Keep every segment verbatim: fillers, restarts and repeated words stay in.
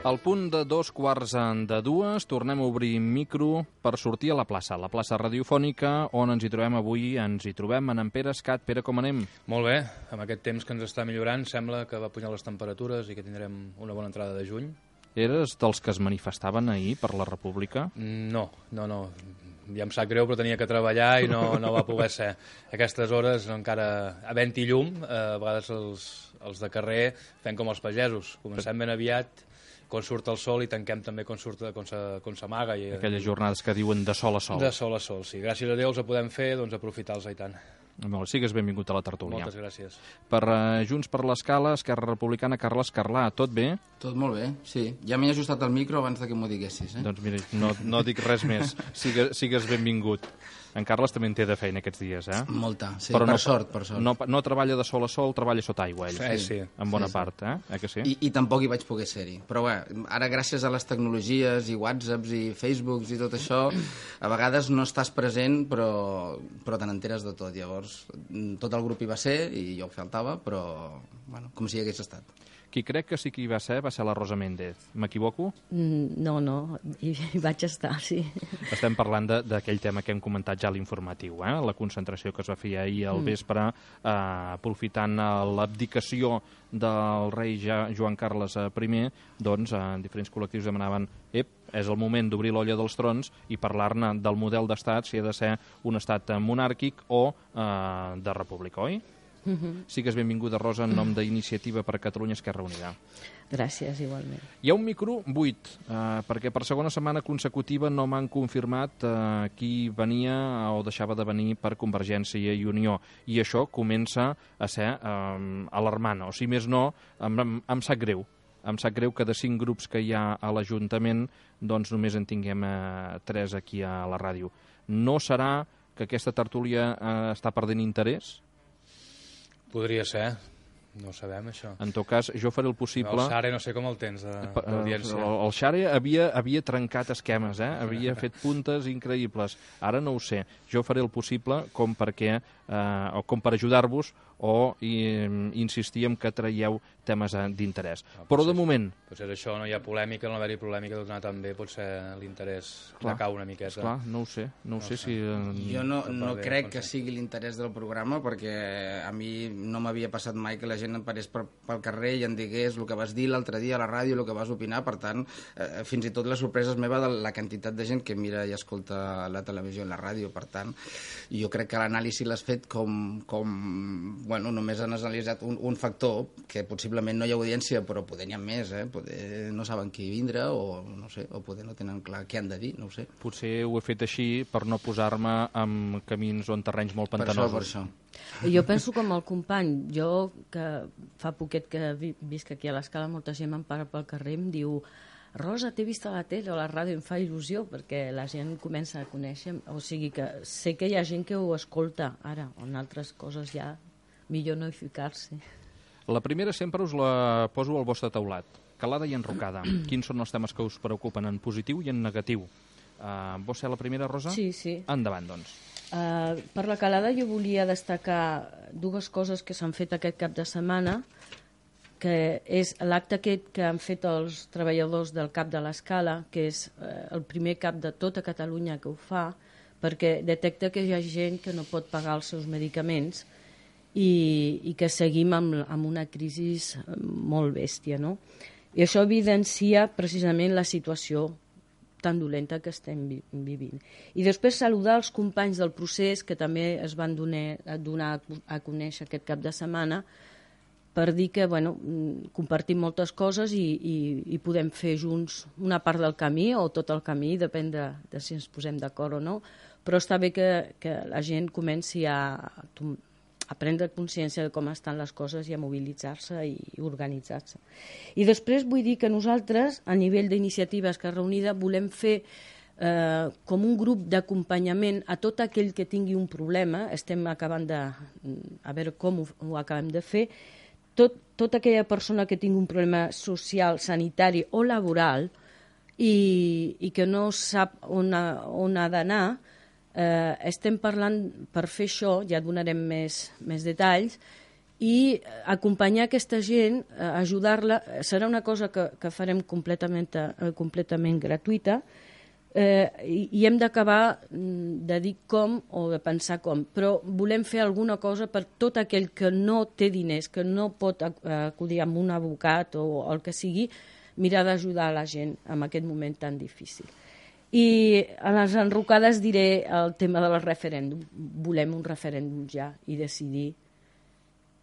Al punt de dos quarts de dues tornem a obrir micro per sortir a la plaça, la plaça radiofònica, on ens hi trobem avui. Ens hi trobem en Pere Escat. Pere, com anem? Molt bé, amb aquest temps que ens està millorant sembla que va pujar les temperatures i que tindrem una bona entrada de juny. Eres dels que es manifestaven ahir per la República? No, no, no. Ja em sap greu, però tenia que treballar i no, no va poder ser. A aquestes hores, encara havent-hi llum, eh, a vegades els, els de carrer fem com els pagesos. Comencem ben aviat, quan surt el sol, i tanquem també quan surt, quan s'amaga. Aquelles jornades que diuen de sol a sol. De sol a sol, sí. Gràcies a Déu els podem fer, doncs aprofitar-los i tant. Molt, sigues benvingut a la tertúlia. Moltes gràcies. Per uh, Junts per l'Escala, Esquerra Republicana, Carles Carlà, tot bé? Tot molt bé, sí. Ja m'he ajustat el micro abans de que m'ho diguessis, eh? Doncs mira, no, no dic res més. Sigue, sigues benvingut. En Carles també en té de feina aquests dies, eh? Molta, sí, però per no, sort, per sort. No, no treballa de sol a sol, treballa sota aigua, ell. Sí, sí. En bona sí, part, eh? eh que sí? I, I tampoc hi vaig poder ser-hi. Però bé, ara gràcies a les tecnologies i WhatsApps i Facebooks i tot això, a vegades no estàs present, però, però te n'enteres de tot. Llavors, tot el grup hi va ser i jo faltava, però bueno, com si hi hagués estat. Qui crec que sí que hi va ser va ser la Rosa Méndez. M'equivoco? Mm, no, no, hi, hi vaig estar, sí. Estem parlant d'aquell tema que hem comentat ja a l'informatiu, eh? La concentració que es va fer ahir al vespre, eh, aprofitant l'abdicació del rei ja, Joan Carles I, doncs eh, diferents col·lectius demanaven ep, és el moment d'obrir l'olla dels trons i parlar-ne del model d'estat, si ha de ser un estat monàrquic o eh, de república, oi? Uh-huh. Sigues benvinguda, Rosa, en nom d'Iniciativa per Catalunya Esquerra Unida. Gràcies, igualment. Hi ha un micro buit, eh, perquè per segona setmana consecutiva no m'han confirmat eh, qui venia o deixava de venir per Convergència i Unió, i això comença a ser eh, alarmant, o si més no, em, em, em sap greu. Em sap greu que de cinc grups que hi ha a l'Ajuntament doncs només en tinguem eh, tres aquí a la ràdio. No serà que aquesta tertúlia eh, està perdent interès? Podria ser, no ho sabem, això. En tot cas, jo faré el possible... El Xare no sé com el tens d'audiència. El, el Xare havia, havia trencat esquemes, eh? Havia fet puntes increïbles. Ara no ho sé. Jo faré el possible com perquè, eh, o com per ajudar-vos o i, insistir en que traieu temes d'interès. No, Però de moment... Potser això no hi ha polèmica, no haver-hi polèmica, tot anar tan bé, potser l'interès decau una miqueta. Clar, no ho sé, no ho no sé, sé. si... Eh, jo no, no bé, crec que sigui l'interès del programa, perquè a mi no m'havia passat mai que la gent em parés per, pel carrer i em digués el que vas dir l'altre dia a la ràdio, el que vas opinar. Per tant, eh, fins i tot la sorpresa és meva de la quantitat de gent que mira i escolta la televisió i la ràdio. Per tant, jo crec que l'anàlisi l'has fet com, com bueno, només han analitzat un, un factor, que possiblement no hi ha audiència, però poder n'hi ha més, eh? Poder no saben qui vindrà, o no sé, o poder no tenen clar què han de dir, no ho sé. Potser ho he fet així per no posar-me en camins o en terrenys molt pantanosos. Per això, per això. Jo penso com el company. Jo, que fa poquet que visc aquí a l'Escala, molta gent me'n para pel carrer i em diu: Rosa, t'he vist a la tele o a la ràdio. Em fa il·lusió perquè la gent comença a conèixer, o sigui que sé que hi ha gent que ho escolta ara, en altres coses ja millor no hi ficar-se. La primera sempre us la poso al vostre taulat. Calada i enrocada. Quins són els temes que us preocupen en positiu i en negatiu? Uh, vols ser la primera, Rosa? Sí, sí. Endavant, doncs. Uh, per la calada jo volia destacar dues coses que s'han fet aquest cap de setmana, que és l'acte aquest que han fet els treballadors del CAP de l'Escala, que és uh, el primer CAP de tota Catalunya que ho fa, perquè detecta que hi ha gent que no pot pagar els seus medicaments i, i que seguim amb, amb una crisi molt bèstia, no? I això evidencia precisament la situació tan dolenta que estem vi vivint. I després saludar els companys del procés que també es van donar, donar a conèixer aquest cap de setmana, per dir que bueno, compartim moltes coses i, i, i podem fer junts una part del camí o tot el camí, depèn de, de si ens posem d'acord o no, però està bé que, que la gent comenci a, a prendre consciència de com estan les coses i a mobilitzar-se i organitzar-se. I després vull dir que nosaltres, a nivell d'Iniciativa Esquerra Unida, volem fer eh, com un grup d'acompanyament a tot aquell que tingui un problema. Estem acabant de... a veure com ho, ho acabem de fer. tot, tota aquella persona que tingui un problema social, sanitari o laboral i, i que no sap on ha, on ha d'anar, eh, estem parlant per fer això, ja donarem més, més detalls, i acompanyar aquesta gent, ajudar-la, serà una cosa que, que farem completament, completament gratuïta, eh, i, i hem d'acabar de dir com o de pensar com, però volem fer alguna cosa per tot aquell que no té diners, que no pot acudir amb un advocat o el que sigui, mirar d'ajudar la gent en aquest moment tan difícil. I a les enrocades diré el tema del referèndum. Volem un referèndum ja i decidir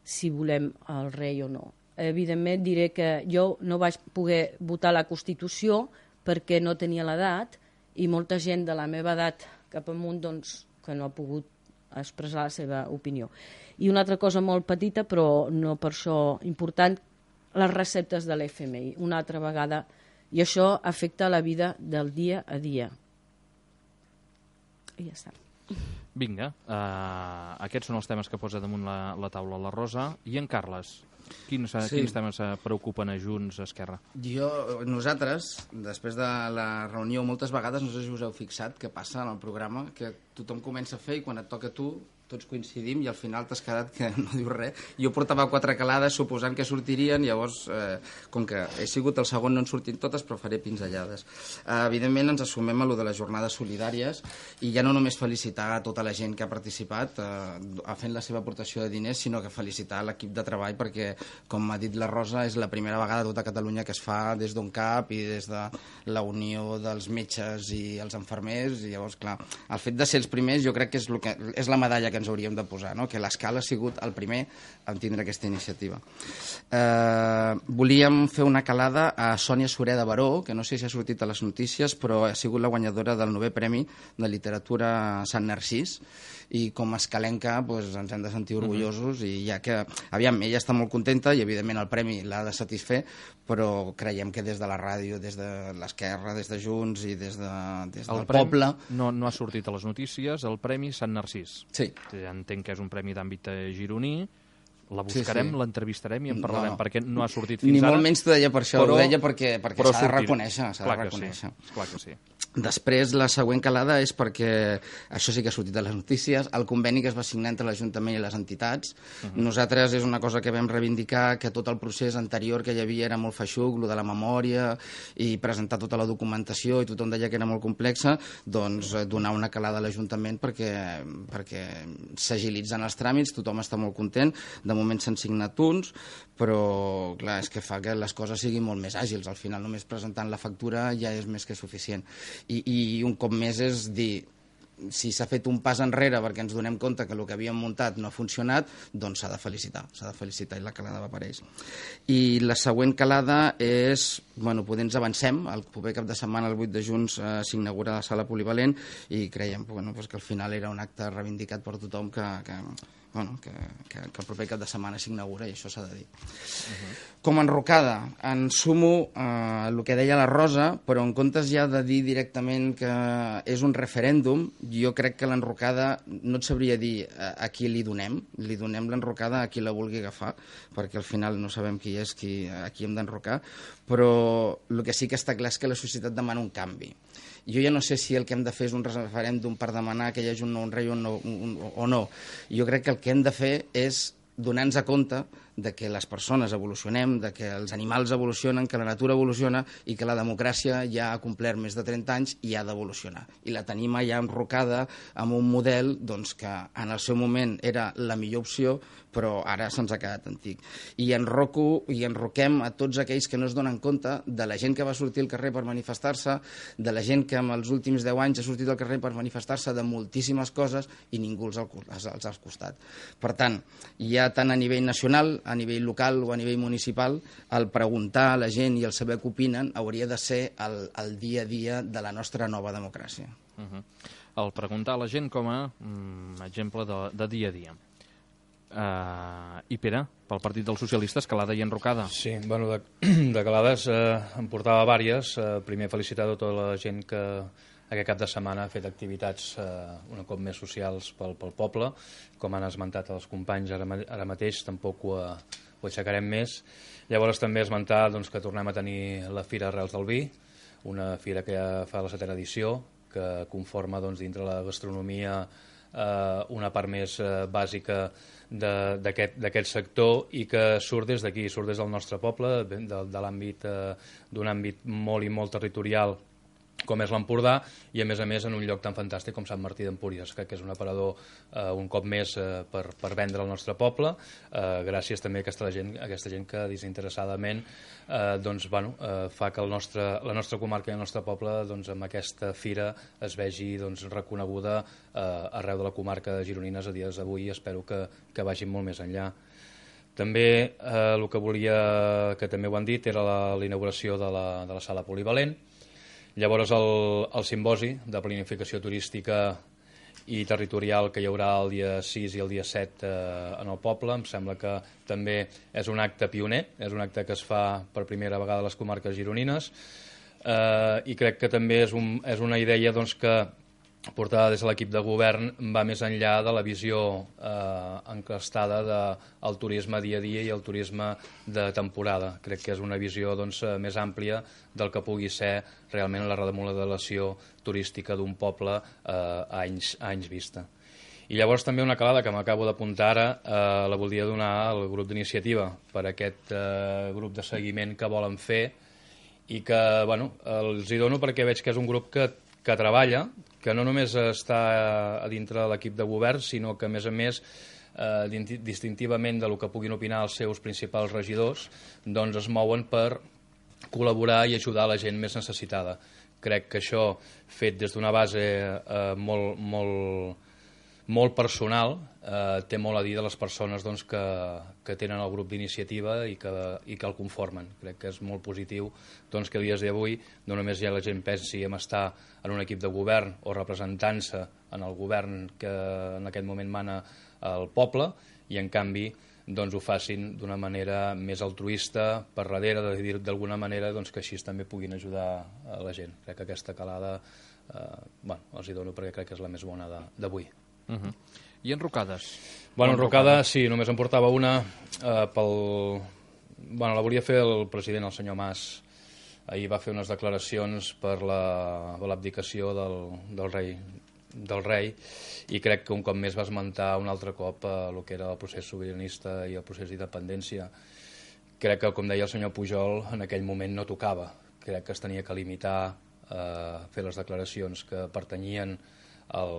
si volem el rei o no. Evidentment diré que jo no vaig poder votar la Constitució perquè no tenia l'edat i molta gent de la meva edat cap amunt doncs, que no ha pogut expressar la seva opinió. I una altra cosa molt petita, però no per això important, les receptes de l'F M I, una altra vegada, i això afecta la vida del dia a dia. I ja està. Vinga, uh, aquests són els temes que posa damunt la, la taula la Rosa. I en Carles, quins, sí. quins temes preocupen a Junts, a Esquerra? Jo, nosaltres, després de la reunió, moltes vegades, no sé si us heu fixat què passa en el programa, que tothom comença a fer i quan et toca a tu tots coincidim i al final t'has quedat que no dius res. Jo portava quatre calades suposant que sortirien, llavors, eh, com que he sigut el segon, no en sortin totes, però faré pinzellades. Eh, evidentment, ens assumem a lo de les jornades solidàries i ja no només felicitar a tota la gent que ha participat eh, fent la seva aportació de diners, sinó que felicitar l'equip de treball perquè, com ha dit la Rosa, és la primera vegada a tota Catalunya que es fa des d'On Cap i des de la unió dels metges i els infermers, i llavors, clar, el fet de ser els primers jo crec que és, que, és la medalla que ens hauríem de posar, no? Que l'Escala ha sigut el primer en tindre aquesta iniciativa. Eh, volíem fer una calada a Sònia Sureda Baró, que no sé si ha sortit a les notícies, però ha sigut la guanyadora del novè Premi de Literatura Sant Narcís, i com a escalenca doncs, ens hem de sentir orgullosos, uh-huh. i ja que, aviam, ella està molt contenta i evidentment el premi l'ha de satisfer, però creiem que des de la ràdio, des de l'Esquerra, des de Junts i des, de, des del poble... No, no ha sortit a les notícies, el Premi Sant Narcís. Sí. Ja entenc que és un premi d'àmbit gironí, la buscarem, sí, sí. l'entrevistarem i en parlarem, no, perquè no ha sortit fins ni ara. Ni molt menys t'ho deia per això, però, ho deia perquè, perquè s'ha de reconèixer. S'ha clar de reconèixer. Que sí, clar que sí. Després, la següent calada és perquè, això sí que ha sortit a les notícies, el conveni que es va signar entre l'Ajuntament i les entitats. Uh-huh. Nosaltres és una cosa que vam reivindicar, que tot el procés anterior que hi havia era molt feixuc, lo de la memòria i presentar tota la documentació, i tothom deia que era molt complexa, doncs donar una calada a l'Ajuntament perquè, perquè s'agilitzen els tràmits, tothom està molt content. De moment s'han signat uns, però clar, és que fa que les coses siguin molt més àgils. Al final només presentant la factura ja és més que suficient. I, i un cop més és dir, si s'ha fet un pas enrere perquè ens donem compte que el que havíem muntat no ha funcionat, doncs s'ha de felicitar, s'ha de felicitar, i la calada va per ells. I la següent calada és, bueno, potser ens avancem, el proper cap de setmana, el vuit de juny, eh, s'inaugura la sala polivalent, i creiem bueno, pues que al final era un acte reivindicat per tothom que... que Bueno, que, que, que el proper cap de setmana s'inaugura, i això s'ha de dir. Uh-huh. Com a enrocada, en sumo eh, el que deia la Rosa, però en comptes ja de dir directament que és un referèndum, jo crec que l'enrocada no et sabria dir a, a qui li donem, li donem l'enrocada a qui la vulgui agafar, perquè al final no sabem qui és qui, a qui hem d'enrocar, però el que sí que està clar és que la societat demana un canvi. Jo ja no sé si el que hem de fer és un referèndum per demanar que hi hagi un nou rei o no, un, o no. Jo crec que el que hem de fer és donar-nos a compte de que les persones evolucionem, de que els animals evolucionen, que la natura evoluciona i que la democràcia ja ha complert més de trenta anys i ha d'evolucionar. I la tenim ja enrocada amb un model doncs, que en el seu moment era la millor opció, però ara se'ns ha quedat antic. I enroco i enroquem a tots aquells que no es donen compte de la gent que va sortir al carrer per manifestar-se, de la gent que en els últims deu anys ha sortit al carrer per manifestar-se de moltíssimes coses i ningú els ha al costat. Per tant, ja tant a nivell nacional, a nivell local o a nivell municipal, el preguntar a la gent i el saber què opinen hauria de ser el, el dia a dia de la nostra nova democràcia. Uh-huh. El preguntar a la gent com a mm, exemple de, de dia a dia. Uh, I Pere, pel Partit dels Socialistes, calada i enrocada. Sí, bueno, de, de calades eh, en portava vàries. Eh, primer felicitar tota la gent que aquest cap de setmana ha fet activitats eh, un cop més socials pel, pel poble, com han esmentat els companys ara, ara mateix, tampoc ho, ho aixecarem més. Llavors també esmentar doncs, que tornem a tenir la Fira Arrels del Vi, una fira que ja fa la setena edició, que conforma doncs, dintre la gastronomia eh, una part més eh, bàsica d'aquest sector i que surt des d'aquí, surt des del nostre poble, de, de l'àmbit eh, d'un àmbit molt i molt territorial com és l'Empordà, i a més a més en un lloc tan fantàstic com Sant Martí d'Empúries, que, que és un aparador eh, un cop més eh, per, per vendre al nostre poble, eh, gràcies també a aquesta gent, a aquesta gent que desinteressadament eh, doncs, bueno, eh, fa que el nostre, la nostra comarca i el nostre poble doncs, amb aquesta fira es vegi doncs, reconeguda eh, arreu de la comarca de gironines a dies d'avui, i espero que, que vagin molt més enllà. També eh, el que volia, que també ho han dit, era la, la inauguració de la, de la sala polivalent. Llavors el, el simposi de planificació turística i territorial que hi haurà el dia sis i el dia set eh, en el poble, em sembla que també és un acte pioner, és un acte que es fa per primera vegada a les comarques gironines, eh, i crec que també és, un, és una idea doncs, que portada des de l'equip de govern va més enllà de la visió eh, encastada del turisme dia a dia i el turisme de temporada. Crec que és una visió doncs, més àmplia del que pugui ser realment la remodelació turística d'un poble eh, a, anys, a anys vista. I llavors també una calada que m'acabo d'apuntar ara, eh, la voldria donar al grup d'iniciativa per aquest eh, grup de seguiment que volen fer, i que bueno, els hi dono perquè veig que és un grup que, que treballa, que no només està a dintre de l'equip de govern, sinó que, a més a més, eh, distintivament del que puguin opinar els seus principals regidors, doncs es mouen per col·laborar i ajudar la gent més necessitada. Crec que això, fet des d'una base eh, molt, molt, molt personal, eh, té molt a dir de les persones doncs, que, que tenen el grup d'iniciativa i, que, i que el conformen. Crec que és molt positiu doncs, que a dies d'avui no només ja la gent pensi en estar en un equip de govern o representant-se en el govern que en aquest moment mana el poble, i en canvi doncs, ho facin d'una manera més altruista per darrere, de dir d'alguna manera doncs, que així també puguin ajudar a la gent. Crec que aquesta calada eh, bueno, els hi dono perquè crec que és la més bona d'avui. Uh -huh. I enrocades? Bueno, enrocades, sí, només em portava una eh, pel... Bueno, la volia fer el president, el senyor Mas. Ahir va fer unes declaracions per l'abdicació la, del, del rei del rei, i crec que un cop més va esmentar un altre cop eh, el que era el procés sobiranista i el procés d'independència. Crec que, com deia el senyor Pujol, en aquell moment no tocava. Crec que es tenia que limitar eh, a fer les declaracions que pertanyien el,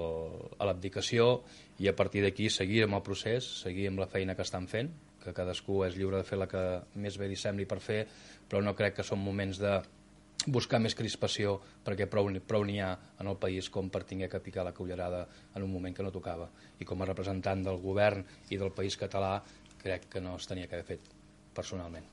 a l'abdicació, i a partir d'aquí seguir amb el procés, seguir amb la feina que estan fent, que cadascú és lliure de fer la que més bé li sembli per fer, però no crec que són moments de buscar més crispació, perquè prou, prou n'hi ha en el país com per tinguer que picar la cullerada en un moment que no tocava. I com a representant del govern i del país català, crec que no es tenia que haver fet personalment.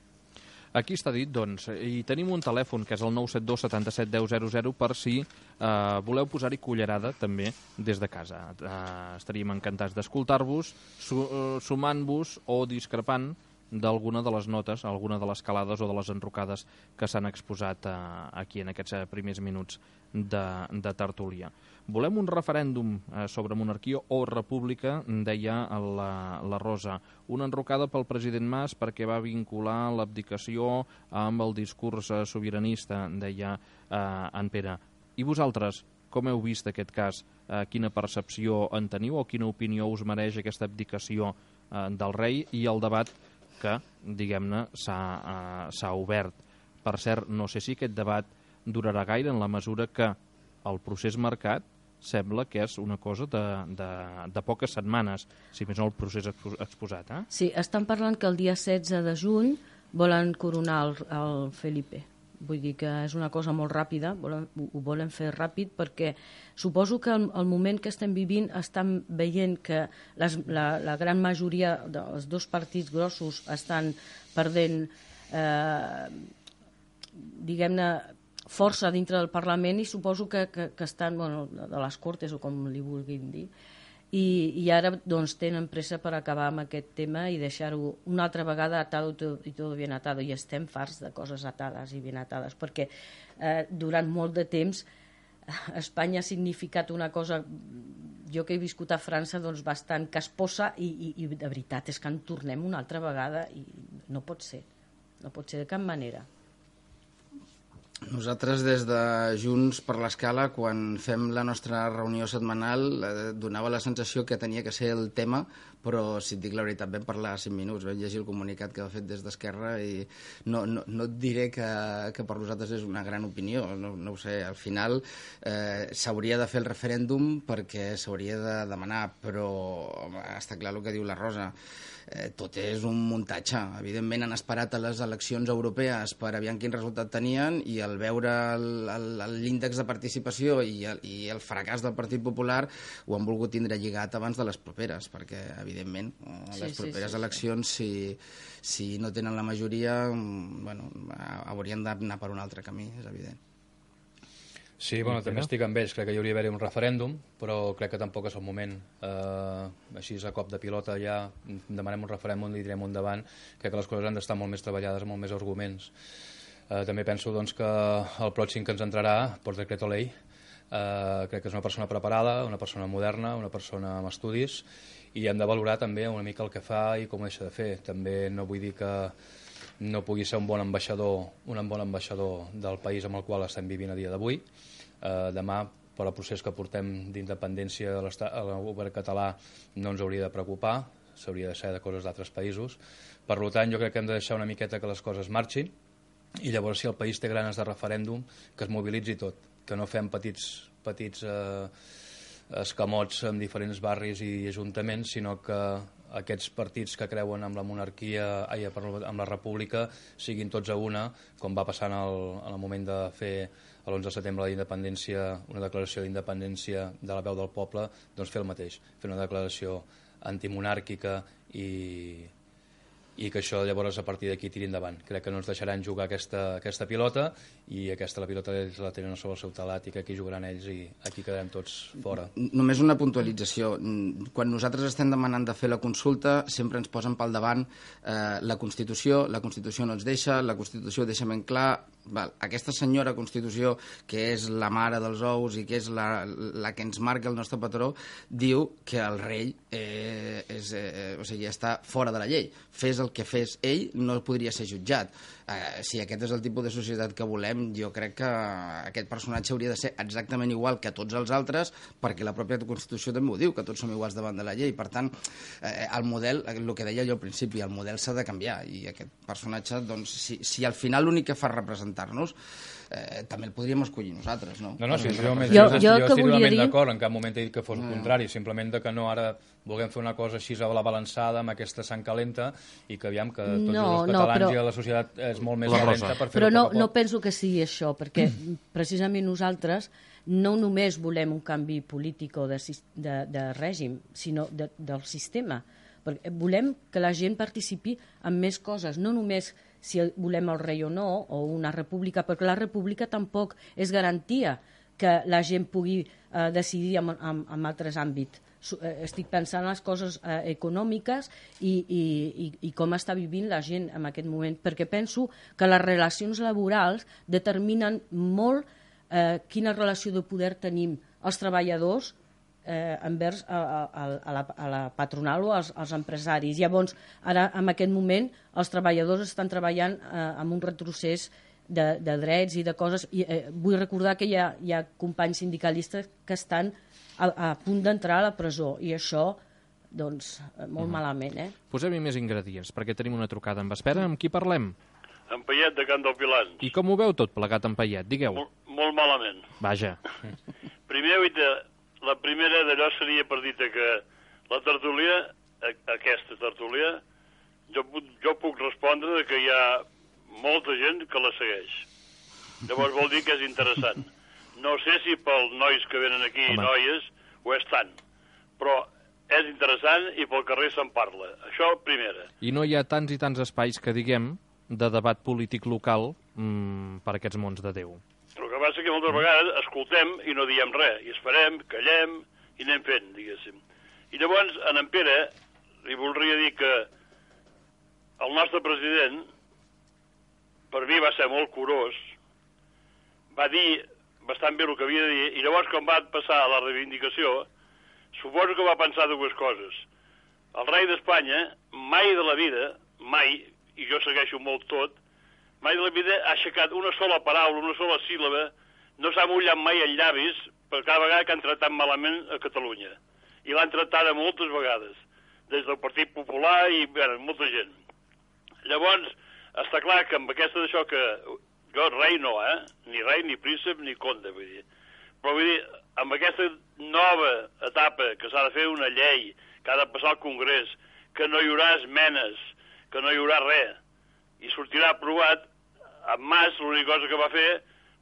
Aquí està dit, doncs, i tenim un telèfon, que és el nou set dos setanta-set deu zero zero, per si eh, voleu posar-hi cullerada també des de casa. Eh, estaríem encantats d'escoltar-vos, su sumant-vos o discrepant d'alguna de les notes, alguna de les calades o de les enrocades que s'han exposat eh, aquí en aquests primers minuts de, de tertúlia. Volem un referèndum eh, sobre monarquia o república, deia la, la Rosa. Una enrocada pel president Mas perquè va vincular l'abdicació amb el discurs eh, sobiranista, deia eh, en Pere. I vosaltres, com heu vist aquest cas? Eh, quina percepció en teniu o quina opinió us mereix aquesta abdicació eh, del rei i el debat que, diguem-ne, s'ha eh, obert? Per cert, no sé si aquest debat durarà gaire, en la mesura que el procés marcat sembla que és una cosa de, de, de poques setmanes, si més no el procés exposat. Eh? Sí, estan parlant que el dia setze de juny volen coronar el, el Felipe. Vull dir que és una cosa molt ràpida, volen, ho volen fer ràpid, perquè suposo que al, al moment que estem vivint estan veient que les, la, la gran majoria dels dos partits grossos estan perdent, eh, diguem-ne, força dintre del Parlament, i suposo que, que, que estan, bueno, de les Cortes, o com li vulguin dir, i, i ara doncs, tenen pressa per acabar amb aquest tema i deixar-ho una altra vegada atado i tot ben atado, i estem farts de coses atades i ben atades, perquè eh, durant molt de temps Espanya ha significat una cosa, jo que he viscut a França, doncs bastant casposa i, i, i de veritat és que en tornem una altra vegada i no pot ser, no pot ser de cap manera. Nosaltres des de Junts per l'Escala, quan fem la nostra reunió setmanal, eh, donava la sensació que tenia que ser el tema, però si et dic la veritat vam parlar cinc minuts, vam llegir el comunicat que ha fet des d'Esquerra i no, no, no et diré que, que per nosaltres és una gran opinió, no, no ho sé, al final eh, s'hauria de fer el referèndum perquè s'hauria de demanar, però està clar el que diu la Rosa. Eh, tot és un muntatge. Evidentment han esperat a les eleccions europees per aviam quin resultat tenien i al veure l'índex de participació i el, i el fracàs del Partit Popular ho han volgut tindre lligat abans de les properes, perquè evidentment a les sí, properes sí, sí, eleccions sí. si, si no tenen la majoria bueno, haurien d'anar per un altre camí, és evident. Sí, bueno, també estic amb ells. Crec que hi hauria d'haver un referèndum, però crec que tampoc és el moment. Eh, així, a cop de pilota, ja demanem un referèndum i direm endavant. Crec que les coses han d'estar molt més treballades, amb molt més arguments. Eh, també penso doncs, que el pròxim que ens entrarà, per decreto ley, eh, crec que és una persona preparada, una persona moderna, una persona amb estudis, i hem de valorar també una mica el que fa i com ho deixa de fer. També no vull dir que no pugui ser un bon ambaixador, un bon ambaixador del país amb el qual estem vivint a dia d'avui. Eh, demà, per al procés que portem d'independència a el govern català, no ens hauria de preocupar, s'hauria de ser de coses d'altres països. Per tant, jo crec que hem de deixar una miqueta que les coses marxin i llavors, si el país té ganes de referèndum, que es mobilitzi tot, que no fem petits, petits eh, escamots en diferents barris i ajuntaments, sinó que aquests partits que creuen en la monarquia, ai, amb la república, siguin tots a una, com va passar en el, en el moment de fer l'onze de setembre de la independència, una declaració d'independència de la veu del poble, doncs fer el mateix, fer una declaració antimonàrquica i, i que això llavors a partir d'aquí tiri endavant. Crec que no ens deixaran jugar aquesta, aquesta pilota i aquesta la pilota ells la tenen sobre el seu talat i que aquí jugaran ells i aquí quedarem tots fora. Només una puntualització. Quan nosaltres estem demanant de fer la consulta sempre ens posen pel davant eh, la Constitució, la Constitució no ens deixa, la Constitució deixa ben clar. Val, aquesta senyora Constitució, que és la mare dels ous i que és la, la que ens marca el nostre patró, diu que el rei eh, és, eh, o sigui, està fora de la llei. Fes el que fes ell, no podria ser jutjat. Eh, si aquest és el tipus de societat que volem, jo crec que aquest personatge hauria de ser exactament igual que tots els altres, perquè la pròpia Constitució també ho diu, que tots som iguals davant de la llei. Per tant, eh, el model, el que deia jo al principi, el model s'ha de canviar, i aquest personatge, doncs, si, si al final l'únic que fa representar-nos, eh, també el podríem escollir nosaltres, no? No, no, sí, jo, jo, jo, jo, jo estic totalment dir... d'acord, en cap moment he dit que fos el contrari, simplement que no ara vulguem fer una cosa així a la balançada amb aquesta sang calenta i que aviam que tots no, els catalans no, però... i la societat és molt més calenta per fer-ho però no, poc a poc. no penso que sigui això, perquè precisament nosaltres no només volem un canvi polític o de, de, de règim, sinó de, del sistema. Perquè volem que la gent participi en més coses, no només si volem el rei o no, o una república, perquè la república tampoc és garantia que la gent pugui eh, decidir en, en, en altres àmbits. Estic pensant en les coses eh, econòmiques i, i, i, i com està vivint la gent en aquest moment, perquè penso que les relacions laborals determinen molt eh, quina relació de poder tenim els treballadors eh, envers a, a, a, la, a la patronal o als, als empresaris. Llavors, ara, en aquest moment, els treballadors estan treballant eh, amb un retrocés de, de drets i de coses. I, eh, vull recordar que hi ha, hi ha companys sindicalistes que estan a, a punt d'entrar a la presó, i això, doncs, molt uh-huh. malament, eh? Posem-hi més ingredients, perquè tenim una trucada en espera. Amb qui parlem? En Paiet, de Can del Pilans. I com ho veu tot plegat en Paiet? Digueu. Molt, molt malament. Vaja. Primer, la primera d'allò seria per dir que la tertúlia, aquesta tertúlia, jo, jo puc respondre que hi ha molta gent que la segueix. Llavors vol dir que és interessant. No sé si pels nois que venen aquí, Home. noies, ho és tant, però és interessant i pel carrer se'n parla. Això, primera. I no hi ha tants i tants espais que, diguem, de debat polític local mmm, per aquests mons de Déu. Però el que passa que moltes vegades escoltem i no diem res, i esperem, callem i anem fent, diguéssim. I llavors, en en Pere, li voldria dir que el nostre president, per mi va ser molt curós, va dir bastant bé el que havia de dir, i llavors quan va passar a la reivindicació, suposo que va pensar dues coses. El rei d'Espanya mai de la vida, mai, i jo segueixo molt tot, mai de la vida ha aixecat una sola paraula, una sola síl·laba, no s'ha mullat mai els llavis per cada vegada que han tractat malament a Catalunya. I l'han tratada moltes vegades, des del Partit Popular i, bé, molta gent. Llavors, està clar que amb aquesta d'això que... Jo, rei no, eh? Ni rei, ni príncep, ni conde, vull dir. Però vull dir, amb aquesta nova etapa que s'ha de fer una llei, que ha de passar al Congrés, que no hi haurà esmenes, que no hi haurà res, i sortirà aprovat, en Mas l'única cosa que va fer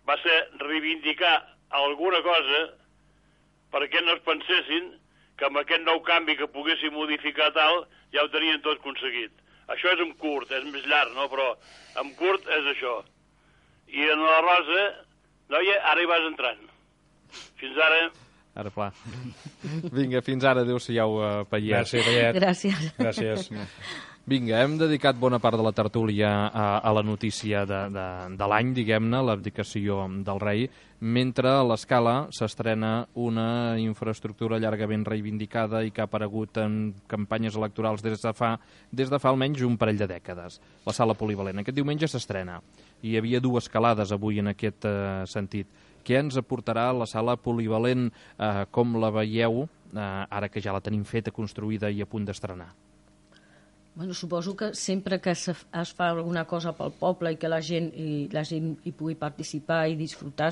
va ser reivindicar alguna cosa perquè no es pensessin que amb aquest nou canvi que poguessin modificar tal, ja ho tenien tot aconseguit. Això és en curt, és més llarg, no? Però en curt és això. I en la Rosa, noia, ara hi vas entrant. Fins ara... Ara, pla. Vinga, fins ara. Adéu-siau, Paiet. Gràcies, Paiet. Gràcies. Gràcies. Vinga, hem dedicat bona part de la tertúlia a, a la notícia de, de, de l'any, diguem-ne, l'abdicació del rei, mentre a l'Escala s'estrena una infraestructura llargament reivindicada i que ha aparegut en campanyes electorals des de fa, des de fa almenys un parell de dècades, la sala polivalent. Aquest diumenge s'estrena. Hi havia dues calades avui en aquest eh, sentit. Què ens aportarà la sala polivalent? Eh, com la veieu, eh, ara que ja la tenim feta, construïda i a punt d'estrenar? Bueno, suposo que sempre que es fa alguna cosa pel poble i que la gent i la gent hi pugui participar i disfrutar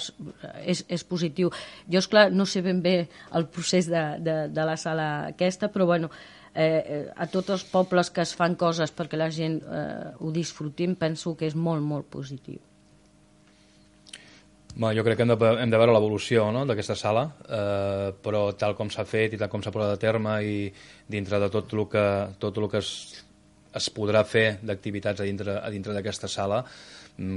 és, és positiu. Jo, esclar, no sé ben bé el procés de, de, de la sala aquesta, però bueno, eh, a tots els pobles que es fan coses perquè la gent eh, ho disfrutim, penso que és molt, molt positiu. Bueno, jo crec que hem de, hem de veure l'evolució, no?, d'aquesta sala, eh, però tal com s'ha fet i tal com s'ha posat a terme i dintre de tot el que, tot el que es, es podrà fer d'activitats a dintre, a dintre d'aquesta sala,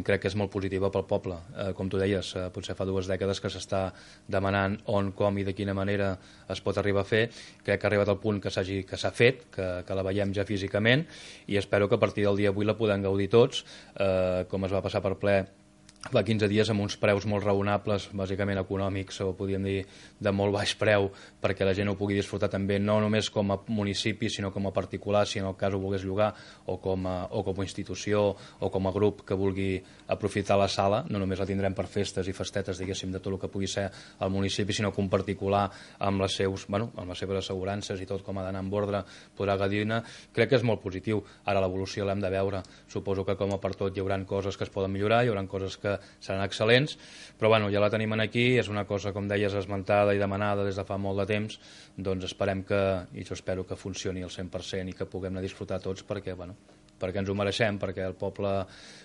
crec que és molt positiva pel poble. Eh, com tu deies, eh, potser fa dues dècades que s'està demanant on, com i de quina manera es pot arribar a fer. Crec que ha arribat al punt que s'hagi que s'ha fet, que, que la veiem ja físicament, i espero que a partir del dia avui la podem gaudir tots, eh, com es va passar per ple fa quinze dies amb uns preus molt raonables, bàsicament econòmics, o podríem dir de molt baix preu, perquè la gent ho pugui disfrutar també, no només com a municipi, sinó com a particular, si en el cas ho volgués llogar, o com a, o com a institució, o com a grup que vulgui aprofitar la sala. No només la tindrem per festes i festetes, diguéssim, de tot el que pugui ser al municipi, sinó que un particular amb les, seus, bueno, amb les seves assegurances i tot com ha d'anar amb ordre podrà gaudir-ne. Crec que és molt positiu. Ara l'evolució l'hem de veure. Suposo que com a per tot hi haurà coses que es poden millorar, hi haurà coses que seran excel·lents, però bueno, ja la tenim aquí, és una cosa, com deies, esmentada i demanada des de fa molt de temps, doncs esperem que, i jo espero que funcioni al cent per cent i que puguem anar a disfrutar tots perquè, bueno, perquè ens ho mereixem, perquè el poble,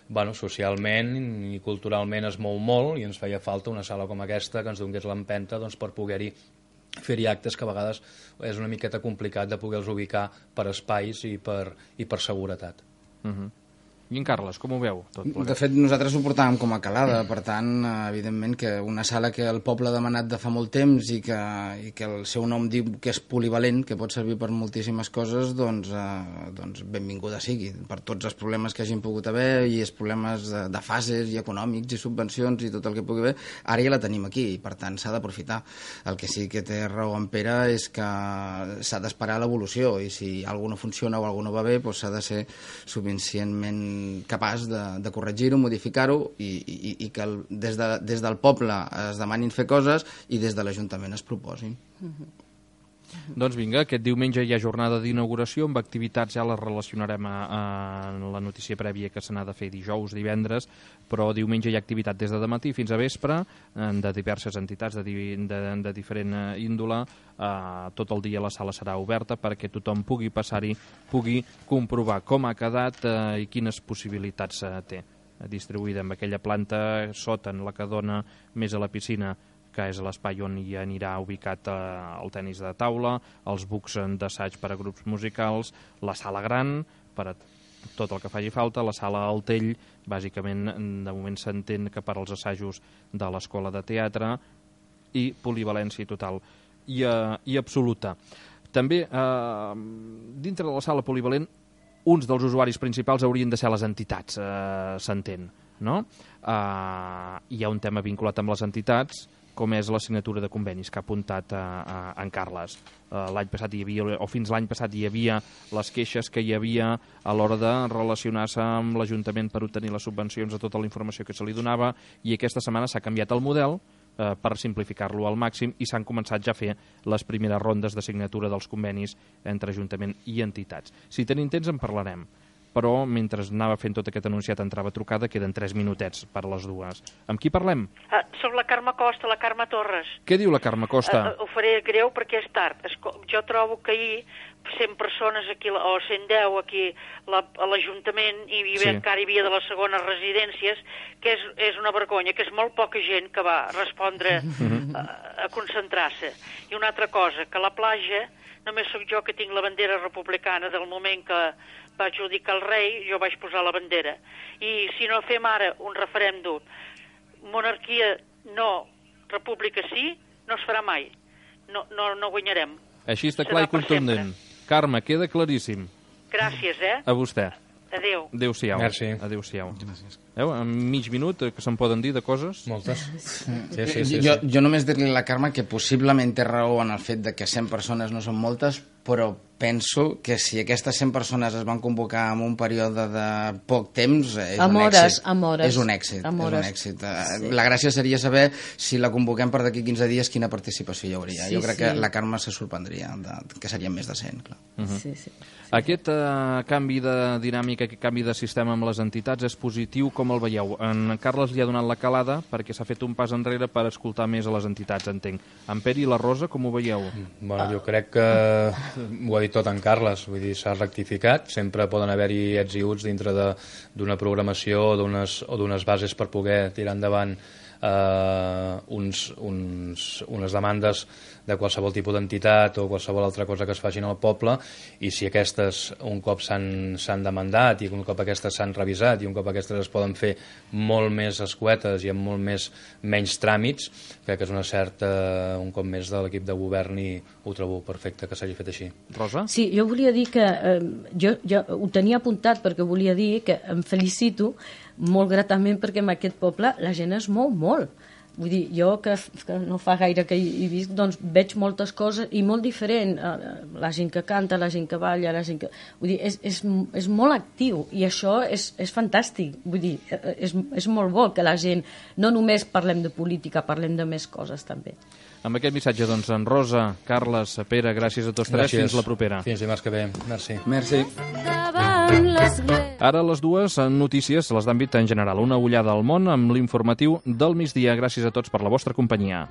bueno, socialment i culturalment es mou molt i ens feia falta una sala com aquesta que ens donés l'empenta, doncs, per poder-hi fer-hi actes que a vegades és una miqueta complicat de poder-los ubicar per espais i per, i per seguretat. Uh-huh. I en Carles, com ho veu? Tot de fet, nosaltres ho portàvem com a calada, per tant, evidentment que una sala que el poble ha demanat de fa molt temps i que, i que el seu nom diu que és polivalent, que pot servir per moltíssimes coses, doncs, eh, doncs benvinguda sigui, per tots els problemes que hagin pogut haver i els problemes de, de fases i econòmics i subvencions i tot el que pugui haver, ara ja la tenim aquí i per tant s'ha d'aprofitar. El que sí que té raó en Pere és que s'ha d'esperar l'evolució i si alguna no funciona o alguna no va bé, doncs s'ha de ser suficientment capaç de, de corregir-ho, modificar-ho i, i, i que el, des, de, des del poble es demanin fer coses i des de l'Ajuntament es proposin. Uh-huh. Doncs vinga, aquest diumenge hi ha jornada d'inauguració, amb activitats ja les relacionarem a, a la notícia prèvia que se n'ha de fer dijous, divendres, però diumenge hi ha activitat des de dematí fins a vespre, de diverses entitats de, de, de diferent índole. Uh, tot el dia la sala serà oberta perquè tothom pugui passar-hi, pugui comprovar com ha quedat uh, i quines possibilitats uh, té. Distribuïda amb aquella planta sota, en la que dona més a la piscina, que és l'espai on hi anirà ubicat eh, el tennis de taula, els bucs d'assaig per a grups musicals, la sala gran per a tot el que faci falta, la sala Altell, bàsicament de moment s'entén que per als assajos de l'escola de teatre, i polivalència total i, eh, i absoluta. També, eh, dintre de la sala polivalent, uns dels usuaris principals haurien de ser les entitats, eh, s'entén. no? Uh, hi ha un tema vinculat amb les entitats, com és la signatura de convenis que ha apuntat a, a, a en Carles. Uh, l'any passat hi havia, o fins l'any passat hi havia les queixes que hi havia a l'hora de relacionar-se amb l'Ajuntament per obtenir les subvencions de tota la informació que se li donava, i aquesta setmana s'ha canviat el model eh, per simplificar-lo al màxim, i s'han començat ja a fer les primeres rondes de signatura dels convenis entre Ajuntament i entitats. Si tenim temps en parlarem, però mentre anava fent tot aquest anunciat entrava trucada, queden tres minutets per a les dues. Amb qui parlem? Uh, soc la Carme Costa, la Carme Torres. Què diu la Carme Costa? Uh, ho faré greu perquè és tard. Esco jo trobo que ahir cent persones aquí, o cent deu aquí la, a l'Ajuntament, i hi havia, sí. encara hi havia de les segones residències, que és, és una vergonya, que és molt poca gent que va respondre a, a concentrar-se. I una altra cosa, que a la platja només sóc jo que tinc la bandera republicana del moment que va adjudicar el rei, jo vaig posar la bandera. I si no fem ara un referèndum, monarquia no, república sí, no es farà mai. No, no, no guanyarem. Així està clar i contundent. Carme, queda claríssim. Gràcies, eh? A vostè. Adéu. Adéu-siau. Merci. Adéu-siau. Veu, en mig minut que se'n poden dir de coses? Moltes. Sí, sí, sí, jo, sí. jo només dir-li a la Carme que possiblement té raó en el fet de que cent persones no són moltes, però penso que si aquestes cent persones es van convocar en un període de poc temps, és amb un hores, èxit. Amb hores. És un èxit. Amb és hores. un èxit. Sí. La gràcia seria saber si la convoquem per d'aquí quinze dies quina participació hi hauria. Sí, jo crec sí. que la Carme se sorprendria, de, que serien més de cent. Clar. Uh -huh. sí, sí, sí. Aquest uh, canvi de dinàmica, aquest canvi de sistema amb les entitats és positiu, com el veieu? En Carles li ha donat la calada perquè s'ha fet un pas enrere per escoltar més a les entitats, entenc. En Pere i la Rosa, com ho veieu? Bueno, jo crec que ho ha dit tot en Carles, vull dir, s'ha rectificat, sempre poden haver-hi ets i uts dintre d'una programació o d'unes bases per poder tirar endavant eh, uns, uns, unes demandes de qualsevol tipus d'entitat o qualsevol altra cosa que es facin al poble, i si aquestes un cop s'han demandat i un cop aquestes s'han revisat i un cop aquestes es poden fer molt més escuetes i amb molt més menys tràmits, crec que és una certa, un cop més, de l'equip de govern, i ho trobo perfecte que s'hagi fet així. Rosa? Sí, jo volia dir que eh, jo, jo ho tenia apuntat perquè volia dir que em felicito molt gratament perquè en aquest poble la gent es mou molt. Vull dir, jo que, que no fa gaire que hi, hi visc, doncs veig moltes coses i molt diferent. La gent que canta, la gent que balla, la gent que... Vull dir, és, és, és molt actiu i això és, és fantàstic. Vull dir, és, és molt bo que la gent... No només parlem de política, parlem de més coses també. Amb aquest missatge, doncs, en Rosa, Carles, Pere, gràcies a tots tres. Gràcies. Fins la propera. Fins dimarts que ve. Merci. Merci. Ara les dues notícies, les d'àmbit en general. Una ullada al món amb l'informatiu del migdia. Gràcies a tots per la vostra companyia.